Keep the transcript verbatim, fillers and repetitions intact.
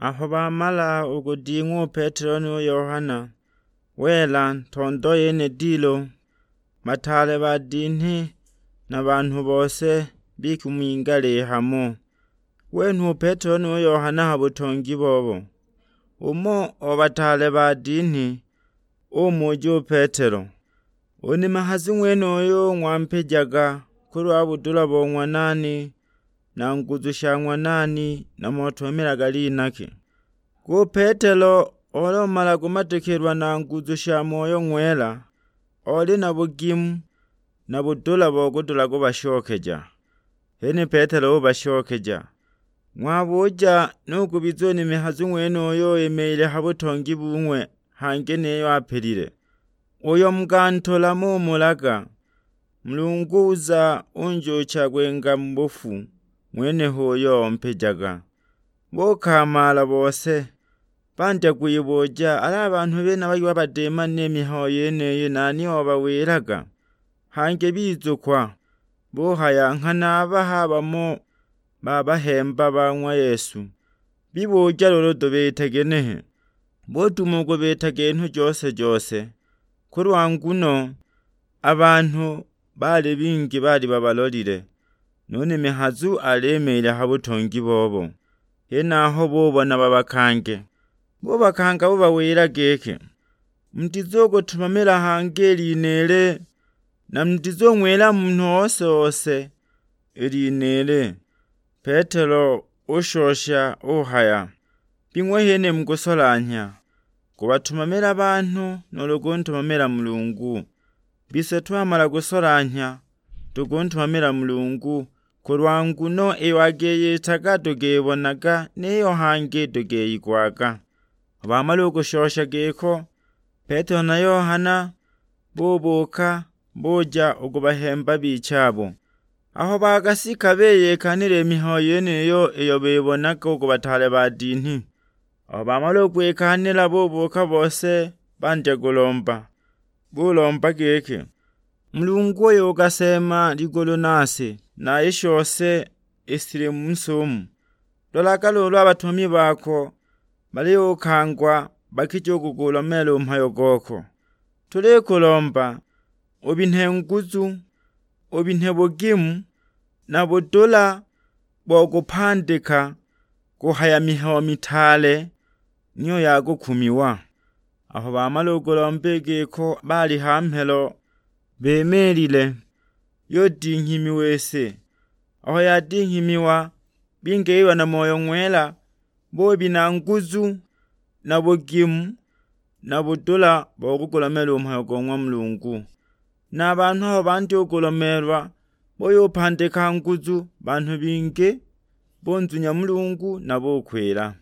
Aho bamala u kuding'wa u Petelo nu Yohana, wela ntondo yene dilo, bataale badinhi na banhu bose bikimingala hamo. Wenhwa u Petelo nu Yohana ha butongi bobo. Umo o bataale badinhi umuja u Petelo, "U nimi hazu ng'wenuyu ng'wampijaga kulwa budula bo ng'wa nani, na nguzu sha ng'wa nani, na motumamilaga lina ki?" Hu Petelo oli umala kumatikilwa na nguzu sha Moyo Ng'wela, oli na bugimu na budula bo kudula kubashokeja. Hene Petelo ubashokeja, "Ng'wabuja nu kubiza u nimi hazu ng'wenuyu imiile ha butongi bung'we hangi niyo apilile. Uyo mukantula mumulaga, Mulungu uza unjuucha kwinga mu bufu, ng'wene h'uyo ompijaga." Bukamaala bose, bandya kwibuja, "Al'a banhu benaba iki babadimana i mihayo yeniyi, nani obawilaga?" Hangi bizukwa, buhaya, "Nghana a baha bamo ba bahemba ba ng'wa Yesu, bibuja luulu tubite ginehe?" Butuma u kubita ginhu jose-jose, kulwa nguno a banhu baali bingi baali babalolile, nu nimi hazu alimiile ha butongi bobo. Henaho bubona babakange, bubakanga bubawila giki, "Mutizugutumamila hangi i lina ili, na mutizung'wila munhu ose-ose i lina ili." Petelo ushosha uhaya, "Bing'we hene mukusolanhya, kubatumamila banhu nuulu kuntumamila Mulungu? Bise twamala kusolanhya, tukuntumamila Mulungu, kulwa nguno iyo akiyitaga tukibonaga, niyo hangi tukiyigwaga." Aho bamala u kushosha giko, Petelo na Yohana bubuuka, buja u ku bahemba bichabo. Aho bagasika biyikanila i mihayo yeniyo iyo bibonaga u ku bataale badinhi. Aho bamala u kwikanila bubuuka bose bandya kulomba, bulomba giki, "Mulungu uyo ugaseema ligulu na si, na i shose ishili mu si umu, lolaga luulu a batumami bako baliyukangwa bakija u kugulomeela u mhayo goko. Tulikulomba ubinhe nguzu, ubinhe bugimu na budula bo kupandika kuhaya mihayo mitaale niyo ya kukumiwa." Aho bamala u kulomba i giko baali ha mhelo bimiilile, yudinghimiwa i si. Aho yadinghimiwa, bingiilwa na Moyo Ng'wela, bubina nguzu na bugimu na budula bo kugulomeela u mhayo go ng'wa Mulungu. Na a banhu aho bandya u kulomeelwa, buyupandika nguzu banhu bingi, bunzunya Mulungu na bukwila.